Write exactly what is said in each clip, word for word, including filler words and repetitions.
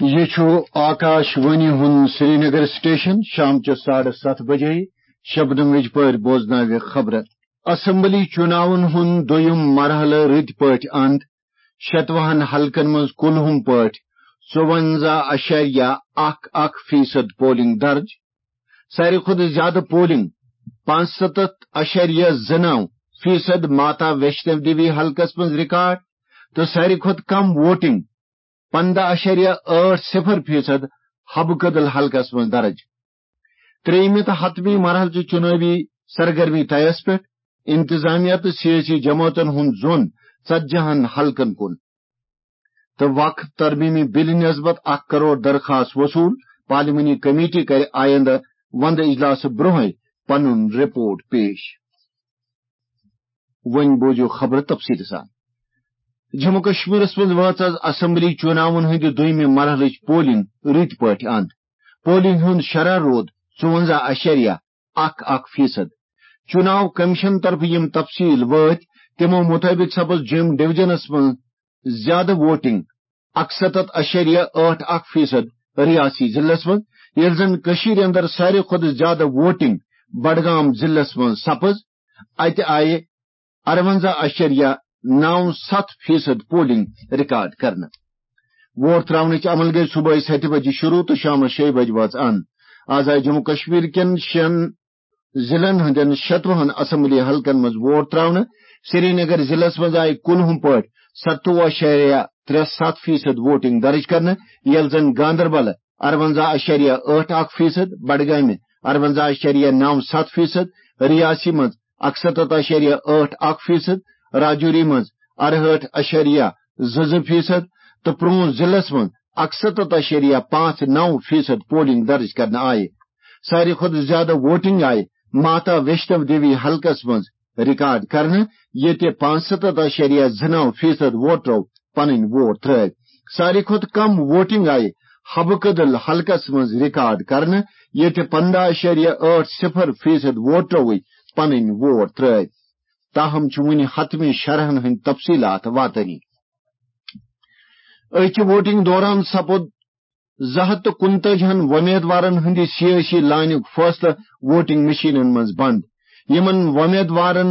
یہِ چھُ آکاش وانی ہُنٛد سرینگر سٹیشن۔ شام چہِ ساڑٕ ستھ بجے شبنم وِجپٲرۍ بوزناوِ خبرٕ۔ اسمبلی چُناون ہُنٛد دوٚیُم مرحلہٕ رٕتۍ پٲٹھۍ اند۔ شتوُہن حلقن منٛز کُلہُم پٲٹھۍ ژُونزہ اَشَریہ اَکھ اَکھ فیصد پولنگ درج۔ ساروی کھۄتہٕ زیادٕ پولنگ، پانٛژستتھ اَشَریہ زٕ نَو فیصد ماتا ویشنو دیوی حلقس منٛز ریکارڈ، تہٕ ساروی کھۄتہٕ کم ووٹنگ، پنٛداہ اَشَریہ ٲٹھ صفر فیصد حبہٕ کدل حلقس منٛز درج۔ ترٛیٚیِمہِ تہٕ حتمی مرحلہٕ چہِ چُنٲوی سرگرمی طیس پٮ۪ٹھ۔ انتظامیہ تہٕ سیٲسی جماعتن ہُنٛد زوٚن ژتجی ہن حلقن کُن۔ تہٕ وقف ترمیمی بلہِ نسبت اکھ کرور درخواست وصول۔ پارلیمانی کمیٹی کرِ آیندٕ وندٕ اجلاسہٕ برونٛہے پنُن رپورٹ پیش۔ وۄنۍ بوزِو خبرٕ تفصیٖل سان۔ جموں کشمیرس منٛز وٲژ از اسمبلی چُناون ہٕنٛدِ دوٚیمہِ مرحلٕچ پولنگ رٕتۍ پٲٹھۍ اند۔ پولنگ ہُنٛد شرح روٗد ژُونزہ اَشَریہ اَکھ اَکھ فیصد۔ چُناو کمیشن طرفہٕ یِم تفصیٖل وٲتۍ، تِمو مُطٲبِق سپٕز جوٚم ڈویژنس منٛز زیادٕ ووٹنگ، اَکستتھ اَشَریہ ٲٹھ اَکھ فیصد ریاستی ضلعس منٛز، ییٚلہِ زن کٔشیٖرِ اندر ساروی کھۄتہٕ زیادٕ ووٹنگ بڈگام ضلعس منٛز سپٕز۔ اتہِ آیہِ اَرونزہ اَشَریہ نَو ستھ فیصد پولنگ ریکارڈ کرنہٕ۔ ووٹ تراونٕچ عمل گٔیہِ صبحٲے ستہِ بجہِ شروع تہٕ شامس شیٚیہِ بجہِ وٲژ اند۔ از آیہِ جموں کشمیر کٮ۪ن شٮ۪ن ضلعن ہٕنٛدٮ۪ن شتوُہن اسمبلی حلقن منٛز ووٹ تراونہٕ۔ سرینگر ضلعس منٛز آیہِ کُلہُم پٲٹھۍ ستووُہ اَشَریہ ترٛےٚ ستھ فیصد ووٹنگ درج کرنہٕ، ییٚلہِ زن گاندربل اَرونزہ اَشَریہ ٲٹھ اَکھ فیصد، بڈگامہِ اَرونزہ اَشَریہ نَو ستھ فیصد، ریاسی منٛز اَکستتھ اَشَریہ ٲٹھ اَکھ فیصد، راجوری منٛز اَرہٲٹھ اَشَریہ زٕ زٕ فیصد تہٕ پرونٛژھ ضلعس منٛز اَکستتھ اَشَریہ پانٛژھ نَو فیصد پولنگ درج کرنہٕ آیہِ۔ ساروی کھۄتہٕ زیادٕ ووٹنگ آیہِ ماتا ویشنو دیوی حلقس منٛز ریکارڈ کرنہٕ، ییٚتہِ پانٛژستتھ اَشَریہ زٕ نَو فیصد ووٹرو پنٕنۍ ووٹ ترٲوۍ۔ ساروی کھۄتہٕ کم ووٹنگ آیہِ حبہٕ کدل حلقس منٛز ریکارڈ کرنہٕ، ییٚتہِ پنٛداہ اَشَریہ ٲٹھ صفر فیصد ووٹروٕے پنٕنۍ ووٹ ترٲوۍ۔ تاہم چھُ وُنہِ حتمی شرحن ہٕنٛدۍ تفصیلات واتٲنی۔ أکہِ ووٹنگ دوران سپُد زٕ ہتھ تہٕ کُنتٲجی ہن وۄمیدوارن ہٕنٛدِ سیٲسی لانیُک فٲصلہٕ ووٹنگ مشینن منٛز بند۔ یِمن وۄمیدوارن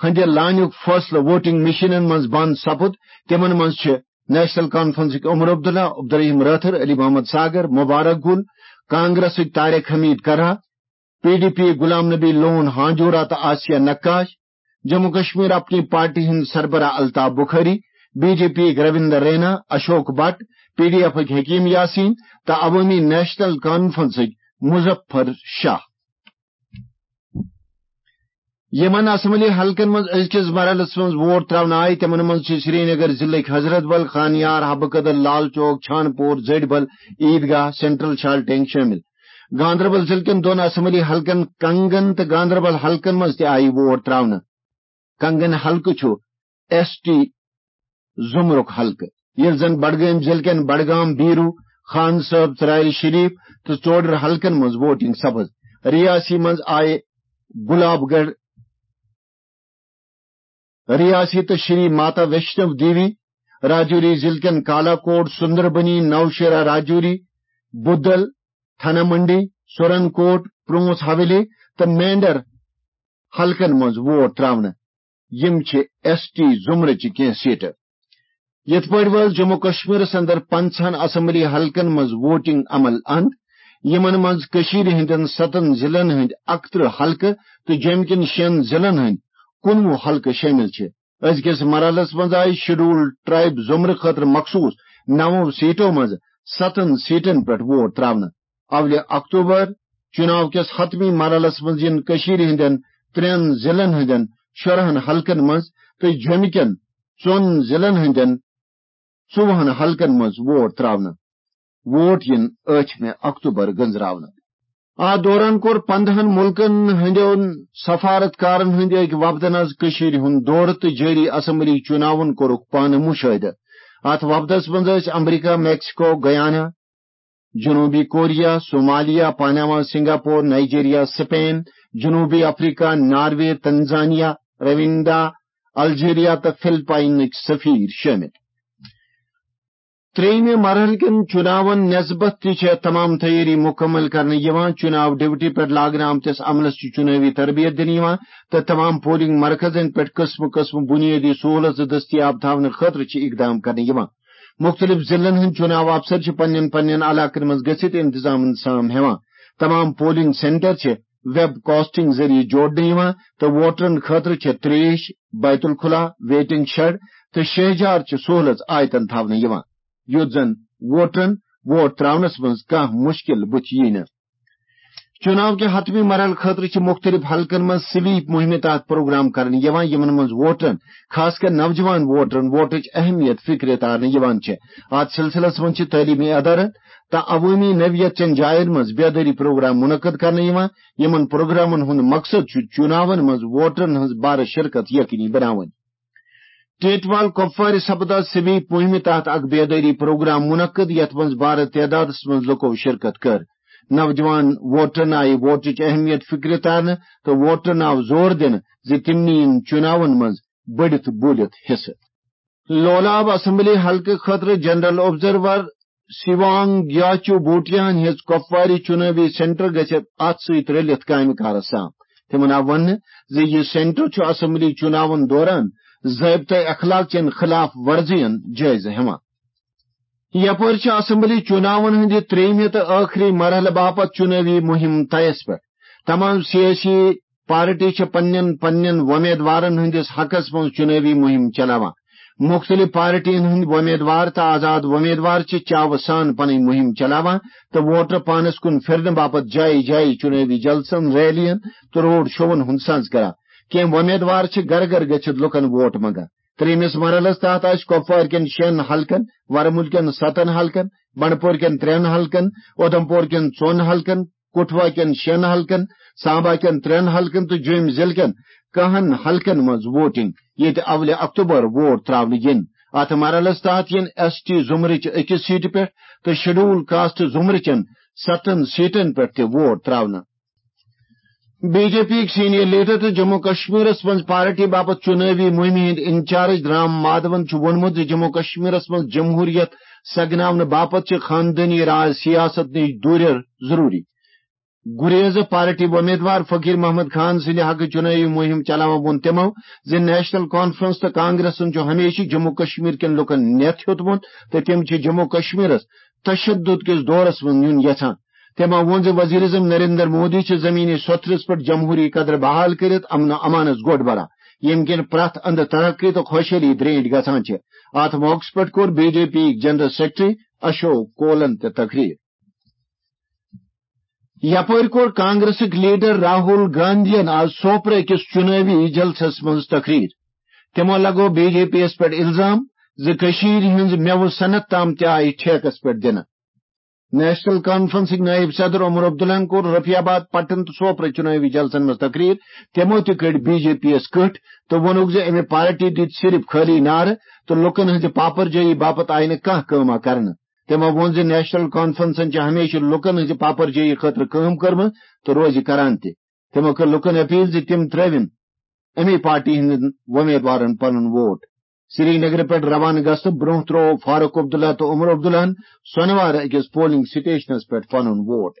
ہٕنٛدِ لانیُک فٲصلہٕ ووٹنگ مشینن منٛز بند سپُد، تِمن منٛز چھِ نیشنل کانفرنسٕکۍ عمر عبداللہ، عبدالرحیم رٲتھر، علی محمد ساگر، مبارک گل، کانگریسٕکۍ Tariq Hamid Karra, P D P Ghulam Nabi Lone Hanjura تہٕ آسیہ نقاش، جموں کشمیر اپنی پارٹی ہٕنٛدۍ سربراہ Altaf Bukhari, B J P Ravinder Raina, Ashok Bhat, P D ایفٕکۍ حکیم یاسین تہٕ عوٲمی نیشنل کانفرنسٕکۍ مظفر شاہ۔ یِمن اسمبلی حلقن منٛز أزکِس مرحلس منٛز ووٹ تراونہٕ آیہِ، تِمن منٛز چھِ سرینگر ضلعٕکۍ حضرت بل، خانیار، حبہٕ کدل، لال چوک، چھانپور، زٔڈۍ بل، عیدگاہ، سینٹرل شالٹینگ شٲمِل۔ گاندربل ضلعہٕ کٮ۪ن دۄن اسمبلی حلقن کنگن تہٕ گاندربل حلقن منٛز تہِ آیہِ ووٹ تراونہٕ۔ کنگن حلقہٕ چھُ ایس ٹی زمرُک حلقہٕ، ییٚلہِ زن بڈگٲمۍ ضلعہٕ کٮ۪ن بڈگام، بیٖروٗ، خان صٲب، ژرارِ شریف تہٕ ژوڈر حلقن منٛز ووٹنگ سپٕز۔ ریاسی منٛز آیہِ گلاب گڑھ ریاسی تہٕ شری ماتا ویشنو دیوی، راجوری ضلعہٕ کٮ۪ن کالا کوٹ، سندربنی، نوشیرا راجوری، بدل، تھنا منڈی، سورن کوٹ، پرونس حویلی تہٕ مینڈر حلقن منٛز ووٹ تراونہٕ۔ یِم چھِ ایس ٹی زمرٕچہِ کینٛہہ سیٹہٕ۔ یِتھ پٲٹھۍ وٲژ جموں کشمیرس اندر پنٛژاہن اسمبلی حلقن منٛز ووٹنگ عمل اند، یِمن منٛز کٔشیٖرِ ہٕنٛدٮ۪ن ستن ضلعن ہٕنٛدۍ اکترٕہ حلقہٕ تہٕ جوٚمہِ کٮ۪ن شٮ۪ن ضلعن ہٕنٛدۍ کُنوُہ حلقہٕ شٲمِل چھِ۔ أزکِس مرحلس منٛز آیہِ شیڈول ٹرائب زمرٕ خٲطرٕ مخصوص نَوو سیٹو منٛز ستن سیٹن پٮ۪ٹھ ووٹ تراونہٕ۔ اولہِ اکتوبر چُناو کِس حتمی مرحلس منٛز یِن کٔشیٖرِ ہٕنٛدٮ۪ن ترٛٮ۪ن ضلعن ہٕنٛدٮ۪ن شُرہن حلقن منٛز تہٕ جوٚمہِ کٮ۪ن ژۄن ضلعن ہٕنٛدٮ۪ن ژوٚوُہن حلقن منٛز ووٹ تراونہٕ۔ ووٹ یِن ٲٹھمہِ اکتوبر گٔنزراونہٕ۔ اتھ دوران کوٚر پندہن مُلکن ہٕنٛدٮ۪ن سفارتکارن ہٕنٛدِ أکۍ وفدن از کٔشیٖرِ ہُنٛد دورٕ تہٕ جٲری اسمبلی چُناون کوٚرُکھ پانہٕ مُشٲہدٕ۔ اتھ وفدس منٛز ٲسۍ امریکہ، میکسیکو، گیانا، جنوبی Korea, Somalia, Panama, Singapore, Nigeria, Spain, جنوبی افریقہ، ناروے، تنزانیہ، رویندا، الجیریا تہٕ فلپائنٕکۍ سفیر شٲمِل۔ ترٛیٚیِمہِ مرحلہٕ کٮ۪ن چُناون نسبت تہِ چھےٚ تمام تیٲری مُکمل کرنہٕ یِوان۔ چُناو ڈیوٹی پٮ۪ٹھ لاگنہٕ آمتِس عملس چھِ چُنٲوی تربیت دِنہٕ یِوان تہٕ تمام پولنگ مرکزن پٮ۪ٹھ قٕسمہٕ قٕسمہٕ بُنیٲدی سہوٗلژٕ دٔستیاب تھاونہٕ خٲطرٕ چھِ اقدام کرنہٕ یِوان۔ مُختٔلِف ضلعن ہٕنٛدۍ چُناو افسر چھِ پننٮ۪ن پننٮ۪ن علاقن منٛز گٔژھِتھ انتظامن سام ہٮ۪وان۔ تمام پولنگ سینٹر چھِ ویب کاسٹنگ ذٔریعہٕ جوڑنہٕ یِوان تہٕ ووٹرن خٲطرٕ چھِ تریش، بیت الخلا، ویٹنگ شیڈ تہٕ شہجار چہِ سہولژ آیتن تھاونہٕ یِوان، یُتھ زن ووٹرن ووٹ تراونس منٛز کانٛہہ مُشکِل بُتھِ ییہِ نہٕ۔ چُناو کہِ حتمی مرحلہٕ خٲطرٕ چھِ مُختٔلِف حلقن منٛز سویپ مُہِمہِ تحت پروگرام کرنہٕ یِوان، یِمن منٛز ووٹرن، خاص کر نوجوان ووٹرن، ووٹٕچ اہمیت فکرِ تارنہٕ یِوان چھِ۔ اتھ سلسلس منٛز چھِ تعلیمی ادارن تہٕ عوٲمی نوعیت چٮ۪ن جاین منٛز بیدٲری پروگرام منعقد کرنہٕ یِوان، یِمن پروگرامن ہُنٛد مقصد چھُ چُناون منٛز ووٹرن ہٕنٛز بارٕ شرکت یقینی بناوٕنۍ۔ ٹیٹوال کۄپوارِ سپد آز سویپ مُہِمہِ تحت اکھ بیدٲری پروگرام منعقد، یتھ منٛز بارٕ تعدادس منٛز لُکو شرکت کٔر۔ نوجوان ووٹرن آیہِ ووٹٕچ اہمیت فکرِ تارنہٕ تہٕ ووٹرن آو زور دِنہٕ زِ تِم نِیِن چُناون منٛز بٔڑِتھ بوٗلِتھ حصہٕ۔ لولاب اسمبلی حلقہٕ خٲطرٕ جنرل آبزرور سیوانگ یاچو بوٹیاہن ہیٚژ کۄپوارِ چُنٲوی سینٹر گٔژھِتھ اتھ سۭتۍ رٔلِتھ کامہِ کارس سان۔ تِمن آو وننہٕ زِ یہِ سینٹر چھُ اسمبلی چُناون دوران ضٲبطہٕ اخلاق چٮ۪ن خلاف ورزین جٲیزٕ ہٮ۪وان۔ یپٲرۍ چھِ اسمبلی چُناون ہٕنٛدِ ترٛیٚیِمہِ تہٕ ٲخری مرحلہٕ باپتھ چُنٲوی مُہِم طیس پٮ۪ٹھ۔ تمام سیٲسی پارٹی چھِ پننٮ۪ن پننٮ۪ن وۄمیدوارن ہٕنٛدِس حقس منٛز چُنٲوی مُہِم چلاوان۔ مُختٔلِف پارٹین ہٕنٛدۍ وۄمیدوار تہٕ آزاد وۄمیدوار چھِ چاوٕ سان پنٕنۍ مُہِم چلاوان تہٕ ووٹر پانس کُن پھِرنہٕ باپتھ جایہِ جایہِ چُنٲوی جلسن، ریلین تہٕ روڈ شوون ہُنٛد سنز کران۔ کینٛہہ وۄمیدوار چھِ گرٕ گرٕ گٔژھِتھ لُکن ووٹ منگان۔ ترٛیٚیمِس مرحلس تحت آسہِ کۄپوارِ کٮ۪ن شٮ۪ن حلقن، ورمُل کٮ۪ن ستن حلقن، بنڈپور کٮ۪ن ترٛٮ۪ن حلقن، اُدھمپور کٮ۪ن ژۄن حلقن، کٹھوا کٮ۪ن شٮ۪ن حلقن، سامبا کٮ۪ن ترٛٮ۪ن حلقن تہٕ جوٚمۍ ضلعہٕ کٮ۪ن کہن حلقن منٛز ووٹنگ، ییٚتہِ اولہِ اکتوبر ووٹ تراونہٕ یِن۔ اتھ مرحلس تحت یِن ایس ٹی زمرٕچ أکِس سیٹہِ پٮ۪ٹھ تہٕ شیڈول کاسٹ زمرٕچٮ۪ن ستن سیٹن پٮ۪ٹھ تہِ ووٹ تراونہٕ۔ بی جے پی یِکۍ سینئر لیڈر تہٕ جموں کشمیرس منٛز پارٹی باپتھ چُنٲوی مُہِمہِ ہٕنٛدۍ انچارج رام مادھون چھُ ووٚنمُت زِ جموں کشمیرس منٛز جمہوریت سگناونہٕ باپتھ چھِ خاندٲنی راج سیاست نِش دوٗریر ضروٗری۔ گُریز پارٹی وۄمیدوار فقیر محمد خان سٕنٛدِ حقہٕ چُنٲوی مُہِم چلاوان ووٚن تِمو زِ نیشنل کانفرنس تہٕ کانگریسن چھُ ہمیشہٕ جموں کشمیر کٮ۪ن لوٗکن نٮ۪تھ ہیوٚتمُت تہٕ تِم چھِ جموں کشمیرس تشدد کِس دورس منٛز نیُن یژھان۔ تٔمۍ ووٚن زِ وزیر اعظم نریندر مودی چھِ زمینی سوٚتھرِس پٮ۪ٹھ جمہوری قدر بحال کٔرِتھ امن و امانس گۄڈ بران، ییٚمہِ کِنۍ پرٛٮ۪تھ اندٕ ترقی تہٕ خۄشحٲلی درینٹھ گژھان چھِ۔ اتھ موقعس پٮ۪ٹھ کوٚر B J P general secretary Ashok کولن تہِ تقریر۔ یپٲرۍ کوٚر کانگریسٕکۍ لیڈر راہول گاندھین آز سوپرٕ أکِس چُنٲوی جلسس منٛز تقریر۔ تِمو لگوو بی جے پی یَس پٮ۪ٹھ الزام زِ کٔشیٖرِ ہٕنٛز مٮ۪وٕ صنعت تام تہِ آیہِ ٹھیکس پٮ۪ٹھ دِنہٕ۔ نیشنل کانفرنسٕکۍ نائب صدر عمر عبداللہن کوٚر رفیع آباد، پٹن تہٕ سوپرٕ چُنٲوی جلسن منٛز تقریر۔ تِمو تہِ کٔڈۍ بی جے پی یَس کٔٹھۍ تہٕ ووٚنُکھ زِ اَمہِ پارٹی دِتۍ صرف خٲلی نعرٕ تہٕ لوٗکن ہٕنٛزِ پاپرجٲیی باپتھ آیہِ نہٕ کانٛہہ کٲمہ کرنہٕ۔ تِمو ووٚن زِ نیشنل کانفرنسن چھِ ہمیشہٕ لوٗکن ہٕنٛزِ پاپرجٲیی خٲطرٕ کٲم کٔرمٕژ تہٕ روزِ کران تہِ۔ تِمو کٔر لوٗکن اپیل زِ تِم ترٲوِن اَمی پارٹی ہٕنٛدٮ۪ن وۄمیدوارن پنُن ووٹ۔ سری نگرٕ پٮ۪ٹھ روانہٕ گژھنہٕ برٛونٛہہ ترٛوو فاروق عبداللہ تہٕ عمر عبداللہن سۄنوارٕ أکِس پولنگ سٹیشنس پٮ۪ٹھ پنُن ووٹ۔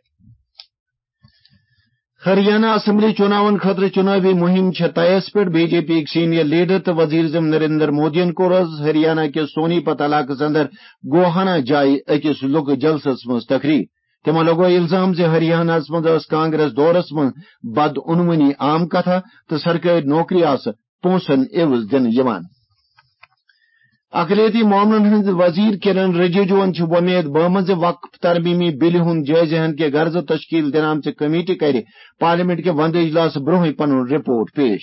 ہریانہ اسمبلی چُناون خٲطرٕ چُنٲوی مُہِم چھےٚ طیس پٮ۪ٹھ۔ بی جے پی یِکۍ سینئر لیڈر تہٕ وزیر اعظم نریندر مودیَن کوٚر آز ہریانہ کِس سونی پت علاقس اندر گوہانہ جایہِ أکِس لُکہٕ جلسس منٛز تقریر۔ تِمو لگوو الزام زِ ہریانہس منٛز ٲس کانگریس دورس منٛز بدعنوانی عام کتھا تہٕ سرکٲرۍ نوکری آسہٕ پونٛسن عوض دِنہٕ یِوان۔ اقلیتی معاملن ہٕنٛدۍ وزیر کِرن رِجِجوٗہن چھِ وۄمید بٲومٕژ زِ وقف ترمیمی بِلہِ ہُنٛد جٲیزٕ ہن کہِ غرضہٕ تشکیل دِنہٕ آمژِ کمیٹی کرِ پارلیمنٹ کہِ ونٛدٕ اجلاسہٕ برونٛہٕے پنُن رپورٹ پیش۔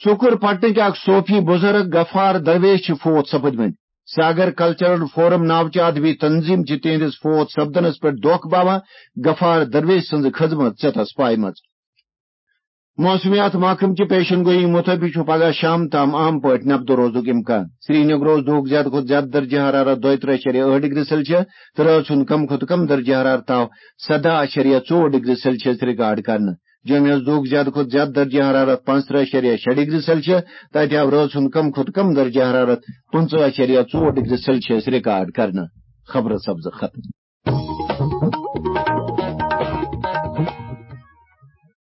ژُکُر پٹنٕکۍ اکھ صوفی بزرگ غفار درویش چھِ فوت سپٕدمٕتۍ۔ ساگر کلچرل فورم ناوچہِ ادبی تنظیم چھِ تِہنٛدِس فوت سپدنس پٮ۪ٹھ دۄکھ باوان۔ غفار درویش سٕنٛز خدمت ژےٚ تس پایہِ منٛز۔ موسمیات محکمہٕ چہِ پیشن گویی مُطٲبِق چھُ پگہہ شام تام عام پٲٹھۍ نبدٕ روزُک امکان۔ سری نگرس دُہُک زیادٕ کھۄتہٕ زیادٕ درجہ حرارت دۄیہِ ترٕہ اَشریہ ٲٹھ ڈگری سیلسیس تہٕ رٲژ ہُنٛد کم کھۄتہٕ کم درجہ حرارت آو سدہ اَشریہ ژور ڈگری سیلسیس ریکارڈ کرنہٕ۔ جوٚمہِ حظ دوٚگ زیادٕ کھۄتہٕ زیادٕ درجہ حرارت پانٛژترٕٛہ اَشاریہ شےٚ ڈگری سیلسیس، تہٕ اَتہِ آو رٲژ ہُنٛد کم کھۄتہٕ کم درجہ حرارت پٕنٛژٕہ اَشاریہ ژور ڈگری سیلسیس ریکارڈ کرنہٕ۔ خبرٕ سبزٕ ختم۔